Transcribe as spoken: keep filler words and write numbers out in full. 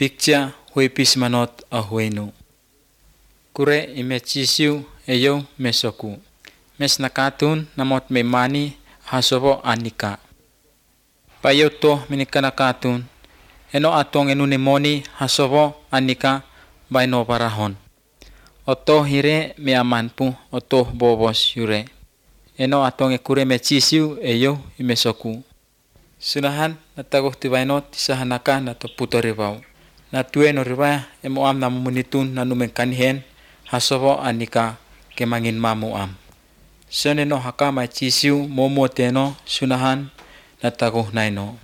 picture hui pismanot a huenu. Kure ime chisiu eyo mesoku. Mes nakatun namot me mani hasovo anika. Payo to minika nakatun. Eno atong enune moni hasovo anika baino parahon. Oto hire me amanpu oto bobos yure. Eno atong ekure me chisiu eyo imesoku. Sunahan nataguh tibainot sahanaka nato puto ribau. Natue no riba emo am namumunitun nanumen kanihen hasovo anika kemangin mamu am. Soneno haka ma chisiu momo teno sunahan nataguh naino.